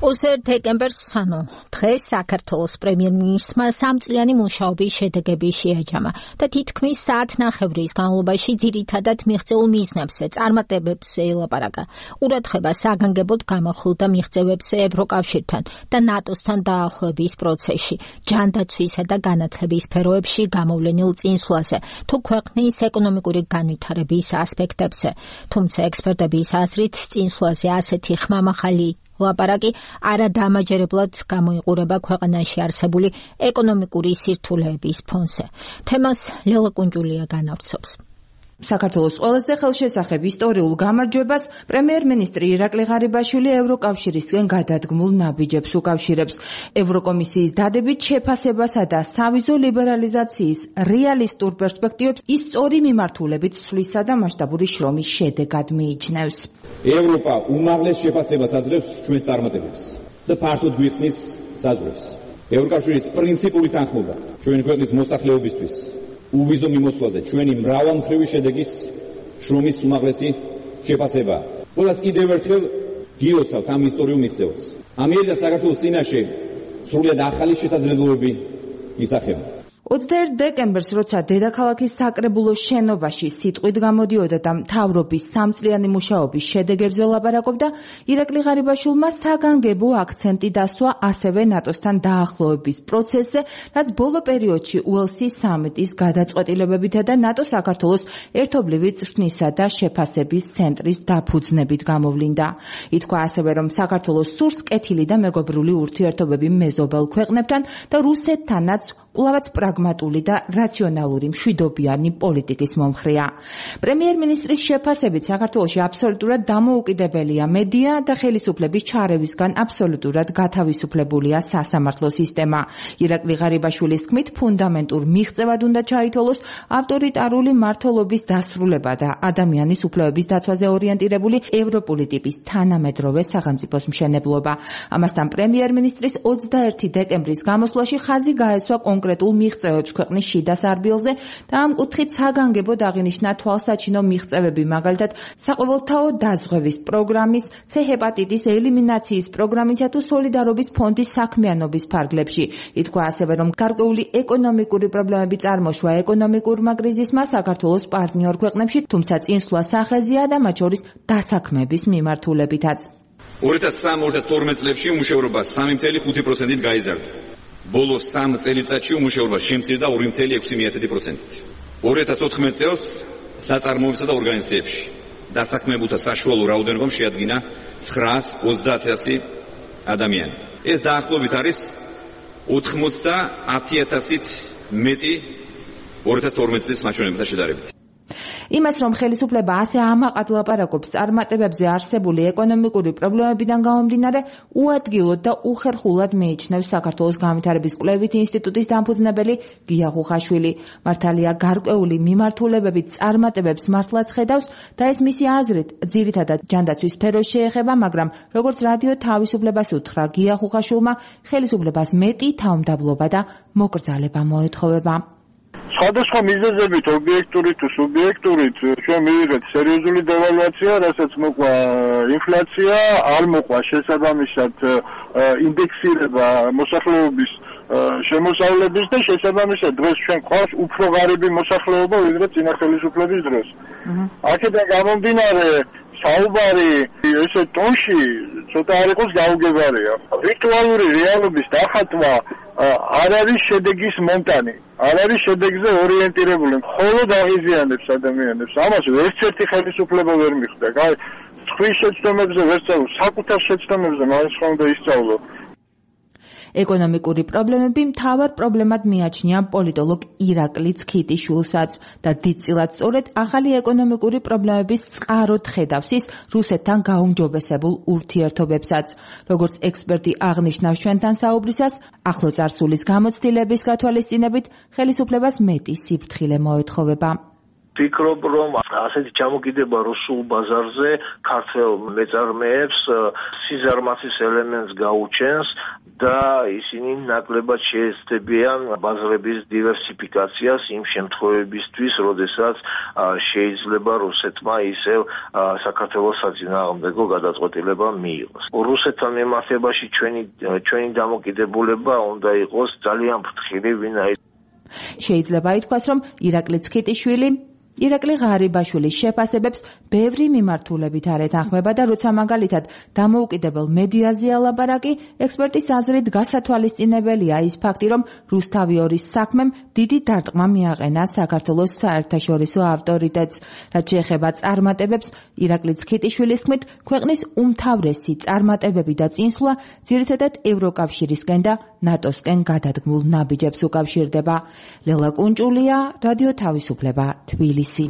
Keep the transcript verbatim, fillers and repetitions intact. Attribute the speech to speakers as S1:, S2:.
S1: ოცდაერთი დეკემბერს, ანუ დღეს საქართველოს პრემიერ-მინისტრმა სამწლიანი მუშაობის შედეგები შეაჯამა და თითქმის საათნახევრის განმავლობაში ძირითადად მიღწეულ მიზნებზე, წარმატებებზე ელაპარაკა. ყურადღება საგანგებოდ გამახვილდა მიღწევებზე ევროკავშირთან და ნატოსთან დაახლოების პროცესში, ჯანდაცვისა და განათლების სფეროებში გამოვლენილ წინსვლაზე, თუ ქვეყნის ეკონომიკური განვითარების ასპექტებზე. თუმცა ექსპერტების აზრით, წინსვლაზე ასეთი ხმამაღალი ლაპარაკი არადამაჯერებლად გამოიყურება ქვეყანაში არსებული ეკონომიკური სირთულეების ფონზე. თემას ლელა კუნჯულია განავრცობს.
S2: საქართველოს ყველაზე ხელშესახებ ისტორიულ გამარჯვებას პრემიერ-მინისტრი ირაკლი ღარიბაშვილი ევროკავშირისგან გადადგმულ ნაბიჯებს უკავშირებს. ევროკომისიის დადებით შეფასებასა და სავიზო ლიბერალიზაციის რეალისტურ პერსპექტივებს ის სწორი მიმართულებით სვლისა და მასშტაბური შრომის შედეგად მიიჩნევს.
S3: ევროპა უმაღლეს შეფასებას აძლევს ჩვენს წარმატებებს და ფართოდ გვიხსნის საზღვრებს. ევროკავშირის პრინციპული თანხმობა ჩვენი ქვეყნის მოსახლეობისთვის უვიზო მიმოსვლაზე ჩვენი მრავალმხრივი შედეგის შრომის უმაღლესი შეფასება. ყველას კიდევ ერთხელ გილოცავთ ამ ისტორიულ მიღწევას. ამიერი და საქართველოს წინაშე სრულად ახალი შესაძლებლობები ისახება.
S2: ოცდაერთი დეკემბერს, როცა დედაქალაქის საკრებულოს შენობაში სიტყვით გამოდიოდა და მთავრობის სამწლიანი მუშაობის შედეგებზე ლაპარაკობდა, ირაკლი ღარიბაშვილმა საგანგებო აქცენტი დასვა ასევე ნატოსთან დაახლოების პროცესზე, რაც ბოლო პერიოდში უელსის სამიტის გადაწყვეტილებებითა და ნატო-საქართველოს ერთობლივი წვრთნისა და შეფასების ცენტრის დაფუძნებით გამოვლინდა. ითქვა ასევე, რომ საქართველოს სურს კეთილი და მეგობრული ურთიერთობები მეზობელ ქვეყნებთან და რუსეთთანაც კვლავაც პრაგმატული და რაციონალური მშვიდობიანი პოლიტიკის მომხრეა. პრემიერ-მინისტრის შეფასებით საქართველოში აბსოლუტურად დამოუკიდებელია მედია და ხელისუფლების ჩარევისგან აბსოლუტურად გათავისუფლებულია სასამართლო სისტემა. ირაკლი ღარიბაშვილის თქმით, ფუნდამენტურ მიღწევად უნდა ჩაითვალოს ავტორიტარული მმართველობის დასრულება და ადამიანის უფლებების დაცვაზე ორიენტირებული ევროპული ტიპის თანამედროვე სახელმწიფოს მშენებლობა. ამასთან პრემიერ-მინისტრის ოცდაერთი დეკემბრის გამოსვლაში ხაზი გაესვა კონკრეტულ მიღწევებს ქვეყნის შიდა სარბილზე და ამ კუთხით საგანგებოდ აღინიშნა თვალსაჩინო მიღწევები, მაგალითად საყოველთაო დაზღვევის პროგრამის, C ჰეპატიტის ელიმინაციის პროგრამისა თუ სოლიდარობის ფონდის საქმიანობის ფარგლებში. ითქვა ასევე, რომ გარკვეული ეკონომიკური პრობლემები წარმოშვა ეკონომიკურმა კრიზისმა საქართველოს პარტნიორ ქვეყნებში, თუმცა წინსვლა სახეზია და მათ შორის დასაქმების მიმართულებითაც.
S3: ორი ათას სამი ორი ათას თორმეტ წლებში უმუშევრობა სამი ფاصლე ხუთი პროცენტით გაიზარდა. ბოლო სამ წელიწადში უმუშევრობა შემცირდა ორი ფاصლე ექვსი პროცენტით. ორი ათას ოთხმეტ წელს საწარმოებსა და ორგანიზაციებში დასაქმებულთა საშუალო რაოდენობა შეადგინა ცხრაას ოცდაათი ადამიანი. ეს დაახლოებით არის ოცდაათი ათასით მეტი ორი ათას თორმეტ წლის მაჩვენებთან შედარებით.
S2: იმას, რომ ხელისუფლება ასე ამაყად ლაპარაკობს წარმატებებზე არსებული ეკონომიკური პრობლემებიდან გამომდინარე, უადგილოდ და უხერხულად მიიჩნევს საქართველოს განვითარების კვლევით ინსტიტუტის დამფუძნებელი გია ხუხაშვილი. მართალია გარკვეული მიმართულებებით წარმატებებს მართლაც ხედავს და ეს მისი აზრით ძირითადად ჯანდაცვის სფეროს შეეხება, მაგრამ როგორც რადიო თავისუფლებას უთხრა გია ხუხაშვილმა, ხელისუფლებას მეტი თავმდაბლობა და მოკრძალება მოეთხოვება.
S4: სხვადასხვა მიზეზებით, ობიექტური თუ სუბიექტურით, ჩვენ მივიღეთ სერიოზული დევალვაცია, რასაც მოყვა ინფლაცია, არ მოყვა შესაბამისად ინდექსირება მოსახლეობის შემოსავლების და შესაბამისად დღეს ჩვენ გვყავს უფრო ღარიბი მოსახლეობა, ვიდრე წინა ხელისუფლების დროს. აქედან გამომდინარე, საუბარი ესე ტონში ცოტა არ იყოს გაუგებარია. ვირტუალური რეალობის დახატვა არ არის შედეგის მონტანი, არ არის შედეგზე ორიენტირებული, მხოლოდ აღიზიანებს ადამიანებს. ამას ერთერთი ხელისუფლება ვერ მიხვდა. აი, სხვის შეცდომებზე ვერ სწავლო, საკუთარ შეცდომებზე მაინც ხომ უნდა ისწავლო.
S2: ეკონომიკური პრობლემები მთავარ პრობლემად მიაჩნია პოლიტოლოგ ირაკლი ცქიტიშვილსაც და დიდწილად სწორედ ახალი ეკონომიკური პრობლემების წყაროდ ხედავს ის რუსეთთან გაუმჯობესებულ ურთიერთობებსაც. როგორც ექსპერტი აღნიშნავს ჩვენთან საუბრისას, ახლო წარსულის გამოცდილების გათვალისწინებით ხელისუფლებას მეტი სიფრთხილე მოეთხოვება.
S4: ვფიქრობ, რომ
S5: ასეთი ჩამოკიდება რუსულ ბაზარზე ქართველ მეწარმეებს სიზარმაცის ელემენტს გაუჩენს და ისინი ნაკლებად შეეცდებიან ბაზრების დივერსიფიკაციას იმ შემთხვევებისთვის, როდესაც შეიძლება რუსეთმა ისევ საქართველოს საწინააღმდეგო გადაწყვეტილება მიიღოს. რუსეთთან მიმართებაში ჩვენი ჩვენი დამოკიდებულება უნდა იყოს ძალიან ფრთხილი, ვინაიდან
S2: შეიძლება ითქვას, რომ ირაკლი ცქიტიშვილი ირაკლი ღარიბაშვილის შეფასებებს ბევრი მიმართულებით არ ეთანხმება და როცა მაგალითად დამოუკიდებელ მედიაზეა ლაპარაკი, ექსპერტის აზრით გასათვალისწინებელია ის ფაქტი, რომ რუსთავი ორის საქმემ დიდი დარტყმა მიაყენა საქართველოს საერთაშორისო ავტორიტეტს. რაც შეეხება წარმატებებს, ირაკლი ცქიტიშვილის თქმით, ქვეყნის უმთავრესი წარმატებები და წინსვლა ძირითადად ევროკავშირისკენ და ნატოსკენ გადადგმულ ნაბიჯებს უკავშირდება. ლელა კუნჭულია, რადიო თავისუფლება, თბილისი.